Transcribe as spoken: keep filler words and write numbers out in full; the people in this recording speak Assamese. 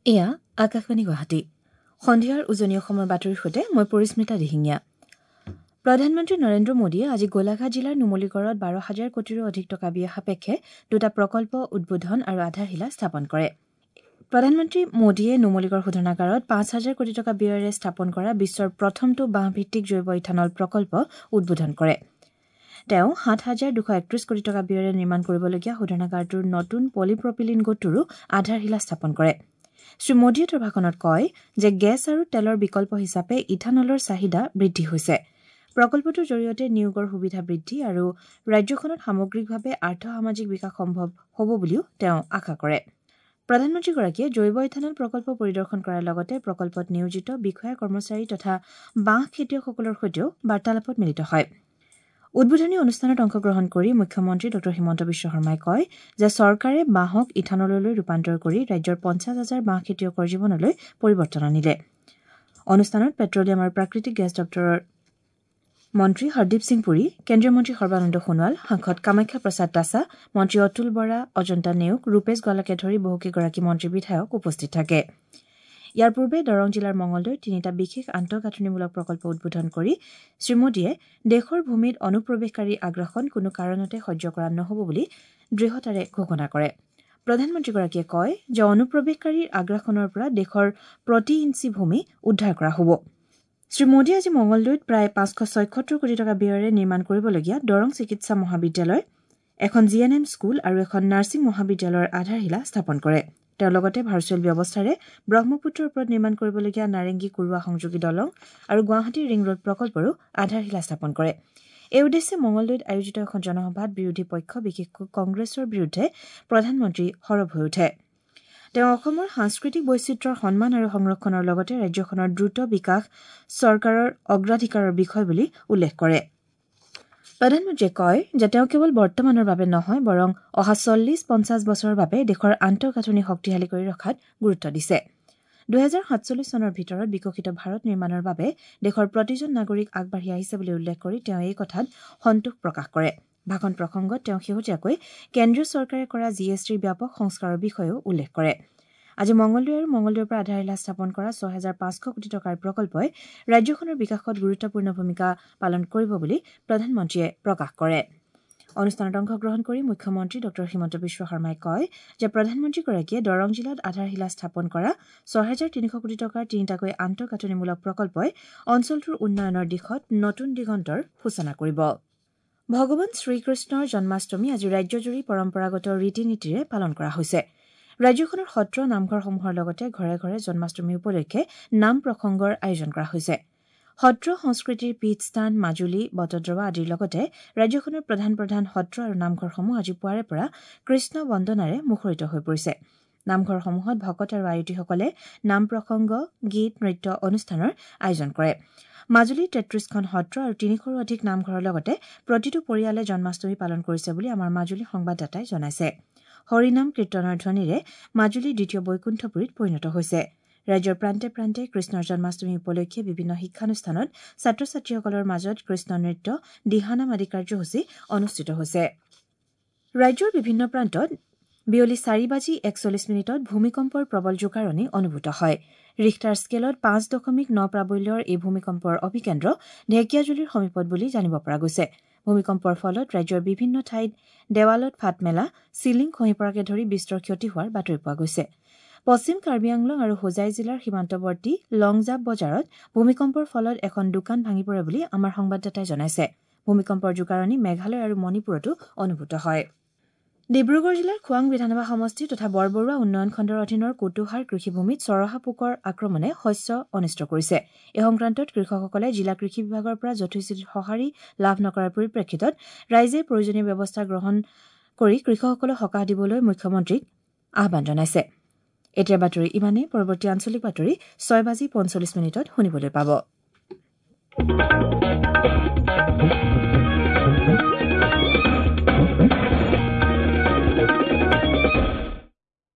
এয়া আকাশবাণী গুৱাহাটী। সন্ধিয়াৰ উজনি অসমৰ বাতৰিৰ সৈতে মই পৰিস্মিতা দিহিঙীয়া। প্ৰধানমন্ত্ৰী নৰেন্দ্ৰ মোদীয়ে আজি গোলাঘাট জিলাৰ নুমলীগড়ত বাৰ হাজাৰ কোটিৰো অধিক টকা ব্যয় সাপেক্ষে দুটা প্ৰকল্প উদ্বোধন আৰু আধাৰশিলা স্থাপন কৰে। প্ৰধানমন্ত্ৰী মোদীয়ে নুমলীগড় শোধনাগাৰত পাঁচ হাজাৰ কোটি টকা ব্যয়েৰে স্থাপন কৰা বিশ্বৰ প্ৰথমটো বাঁহভিত্তিক জৈৱ ইথানল প্ৰকল্প উদ্বোধন কৰে। তেওঁ সাত হাজাৰ দুশ একত্ৰিশ কোটি টকা ব্যয়েৰে নিৰ্মাণ কৰিবলগীয়া শোধনাগাৰটোৰ নতুন পলিপ্ৰপিলিন গোটটোৰো আধাৰশিলা স্থাপন কৰে। শ্ৰী মোদীয়ে তেওঁৰ ভাষণত কয় যে গেছ আৰু তেলৰ বিকল্প হিচাপে ইথানলৰ চাহিদা বৃদ্ধি হৈছে। প্ৰকল্পটোৰ জৰিয়তে নিয়োগৰ সুবিধা বৃদ্ধি আৰু ৰাজ্যখনত সামগ্ৰিকভাৱে আৰ্থ-সামাজিক বিকাশ সম্ভৱ হ'ব বুলিও তেওঁ আশা কৰে। প্ৰধানমন্ত্ৰীগৰাকীয়ে জৈৱ ইথানল প্ৰকল্প পৰিদৰ্শন কৰাৰ লগতে প্ৰকল্পত নিয়োজিত বিষয়া কৰ্মচাৰী তথা বাঁহ খেতিয়কসকলৰ সৈতেও বাৰ্তালাপত মিলিত হয়। উদ্বোধনী অনুষ্ঠানত অংশগ্ৰহণ কৰি মুখ্যমন্ত্ৰী ডঃ হিমন্ত বিশ্ব শৰ্মাই কয় যে চৰকাৰে বাঁহক ইথানললৈ ৰূপান্তৰ কৰি ৰাজ্যৰ পঞ্চাছ হাজাৰ বাঁহ খেতিয়কৰ জীৱনলৈ পৰিৱৰ্তন আনিলে। অনুষ্ঠানত পেট্ৰলিয়াম আৰু প্ৰাকৃতিক গেছ দপ্তৰৰ মন্ত্ৰী হৰদীপ সিং পুৰী, কেন্দ্ৰীয় মন্ত্ৰী সৰ্বানন্দ সোণোৱাল, সাংসদ কামাখ্যা প্ৰসাদ তাছা, মন্ত্ৰী অতুল বৰা, অজন্তা নেওগ, ৰূপেশ গোৱালাকে ধৰি বহুকেইগৰাকী মন্ত্ৰী বিধায়ক উপস্থিত থাকে। ইয়াৰ পূৰ্বে দৰং জিলাৰ মঙলদৈত তিনিটা বিশেষ আন্তঃগাঁথনিমূলক প্ৰকল্প উদ্বোধন কৰি শ্ৰীমোদীয়ে দেশৰ ভূমিত অনুপ্ৰৱেশকাৰীৰ আগ্ৰাসন কোনো কাৰণতে সহ্য কৰা নহ'ব বুলি দৃঢ়তাৰে ঘোষণা কৰে। প্ৰধানমন্ত্ৰীগৰাকীয়ে কয় যে অনুপ্ৰৱেশকাৰীৰ আগ্ৰাসনৰ পৰা দেশৰ প্ৰতি ইঞ্চি ভূমি উদ্ধাৰ কৰা হ'ব। শ্ৰী মোদীয়ে আজি মঙলদৈত প্ৰায় পাঁচশ ছয়সত্তৰ কোটি টকা ব্যয়েৰে নিৰ্মাণ কৰিবলগীয়া দৰং চিকিৎসা মহাবিদ্যালয়, এখন জি এন এম স্কুল আৰু এখন নাৰ্ছিং মহাবিদ্যালয়ৰ আধাৰশিলা স্থাপন কৰে। তেওঁ লগতে ভাৰ্চুৱেল ব্যৱস্থাৰে ব্ৰহ্মপুত্ৰৰ ওপৰত নিৰ্মাণ কৰিবলগীয়া নাৰেংগী কুৰুৱা সংযোগী দলং আৰু গুৱাহাটী ৰিং ৰোড প্ৰকল্পৰো আধাৰশিলা স্থাপন কৰে। এই উদ্দেশ্যে মঙলদৈত আয়োজিত এখন জনসভাত বিৰোধী পক্ষ বিশেষকৈ কংগ্ৰেছৰ বিৰুদ্ধে প্ৰধানমন্ত্ৰী সৰব হৈ উঠে। তেওঁ অসমৰ সাংস্কৃতিক বৈচিত্ৰ্যৰ সন্মান আৰু সংৰক্ষণৰ লগতে ৰাজ্যখনৰ দ্ৰুত বিকাশ চৰকাৰৰ অগ্ৰাধিকাৰৰ বিষয় বুলি উল্লেখ কৰে। প্ৰধানমন্ত্ৰীয়ে কয় যে তেওঁ কেৱল বৰ্তমানৰ বাবে নহয় বৰং অহা চল্লিছ পঞ্চাছ বছৰৰ বাবে দেশৰ আন্তঃগাঁথনি শক্তিশালী কৰি ৰখাত গুৰুত্ব দিছে। দুহেজাৰ সাতচল্লিছ চনৰ ভিতৰত বিকশিত ভাৰত নিৰ্মাণৰ বাবে দেশৰ প্ৰতিজন নাগৰিক আগবাঢ়ি আহিছে বুলি উল্লেখ কৰি তেওঁ এই কথাত সন্তোষ প্ৰকাশ কৰে। ভাষণ প্ৰসংগত তেওঁ শেহতীয়াকৈ কেন্দ্ৰীয় চৰকাৰে কৰা জি এছ টিৰ ব্যাপক সংস্কাৰৰ বিষয়েও উল্লেখ কৰে। আজি মঙলদৈ আৰু মঙলদৈৰ পৰা আধাৰশিলা স্থাপন কৰা ছয় হাজাৰ পাঁচশ কোটি টকাৰ প্ৰকল্পই ৰাজ্যখনৰ বিকাশত গুৰুত্বপূৰ্ণ ভূমিকা পালন কৰিব বুলি প্ৰধানমন্ত্ৰীয়ে প্ৰকাশ কৰে। অনুষ্ঠানত অংশগ্ৰহণ কৰি মুখ্যমন্ত্ৰী ডঃ হিমন্ত বিশ্ব শৰ্মাই কয় যে প্ৰধানমন্ত্ৰীগৰাকীয়ে দৰং জিলাত আধাৰশিলা স্থাপন কৰা ছয় হাজাৰ তিনিশ কোটি টকাৰ তিনিটাকৈ আন্তঃগাঁথনিমূলক প্ৰকল্পই অঞ্চলটোৰ উন্নয়নৰ দিশত নতুন দিগন্তৰ সূচনা কৰিব। ভগৱান শ্ৰীকৃষ্ণৰ জন্মাষ্টমী আজি ৰাজ্যজুৰি পৰম্পৰাগত ৰীতি নীতিৰে পালন কৰা হৈছে। ৰাজ্যখনৰ সত্ৰ নামঘৰসমূহৰ লগতে ঘৰে ঘৰে জন্মাষ্টমী উপলক্ষে নাম প্ৰসংগৰ আয়োজন কৰা হৈছে। সত্ৰ সংস্কৃতিৰ পীঠস্থান মাজুলী, বটদ্ৰৱা আদিৰ লগতে ৰাজ্যখনৰ প্ৰধান প্ৰধান সত্ৰ আৰু নামঘৰসমূহ আজি পুৱাৰে পৰা কৃষ্ণ বন্দনাৰে মুখৰিত হৈ পৰিছে। নামঘৰসমূহত ভকত আৰু আয়তীসকলে নাম প্ৰসংগ, গীত, নৃত্য অনুষ্ঠানৰ আয়োজন কৰে। মাজুলীৰ তেত্ৰিশখন সত্ৰ আৰু তিনিশৰো অধিক নামঘৰৰ লগতে প্ৰতিটো পৰিয়ালে জন্মাষ্টমী পালন কৰিছে বুলি আমাৰ মাজুলী সংবাদদাতাই জনাইছে। হৰিনাম কীৰ্তনৰ ধ্বনিৰে মাজুলী দ্বিতীয় বৈকুণ্ঠপুৰীত পৰিণত হৈছে। ৰাজ্যৰ প্ৰান্তে প্ৰান্তে কৃষ্ণৰ জন্মাষ্টমী উপলক্ষে বিভিন্ন শিক্ষানুষ্ঠানত ছাত্ৰ ছাত্ৰীসকলৰ মাজত কৃষ্ণ নৃত্য, দিহানাম আদি কাৰ্যসূচী অনুষ্ঠিত হৈছে। ৰাজ্যৰ বিভিন্ন প্ৰান্তত বিয়লি চাৰি বাজি একচল্লিছ মিনিটত ভূমিকম্পৰ প্ৰবল জোকাৰণি অনুভূত হয়। ৰিখটাৰ স্কেলত পাঁচ দশমিক ন প্ৰাবল্যৰ এই ভূমিকম্পৰ অভিকেন্দ্ৰ ঢেকীয়াজুলিৰ সমীপত বুলি জানিব পৰা গৈছে। ভূমিকম্পৰ ফলত ৰাজ্যৰ বিভিন্ন ঠাইত দেৱালত ফাট মেলা, চিলিং খহি পৰাকে ধৰি বিস্তৰ ক্ষতি হোৱাৰ বাতৰি পোৱা গৈছে। পশ্চিম কাৰ্বি আংলং আৰু হোজাই জিলাৰ সীমান্তৱৰ্তী লংজাপ বজাৰত ভূমিকম্পৰ ফলত এখন দোকান ভাঙি পৰে বুলি আমাৰ সংবাদদাতাই জনাইছে। ভূমিকম্পৰ জোকাৰণি মেঘালয় আৰু মণিপুৰতো অনুভূত হয়। ডিব্ৰুগড় জিলাৰ খোৱাং বিধানসভা সমষ্টি তথা বৰবৰুৱা উন্নয়ন খণ্ডৰ অধীনৰ কোটোহাৰ কৃষিভূমিত চৰহা পোকৰ আক্ৰমণে শস্য অনিষ্ট কৰিছে। এই সংক্ৰান্তত কৃষকসকলে জিলা কৃষি বিভাগৰ পৰা যথোচিত সঁহাৰি লাভ নকৰাৰ পৰিপ্ৰেক্ষিতত ৰাইজে প্ৰয়োজনীয় ব্যৱস্থা গ্ৰহণ কৰি কৃষকসকলক সকাহ দিবলৈ মুখ্যমন্ত্ৰীক আহ্বান জনাইছে। এতিয়া বাতৰি ইমানেই। পৰৱৰ্তী আঞ্চলিক বাতৰি ছয় বাজি পঞ্চল্লিছ মিনিটত শুনিবলৈ পাব।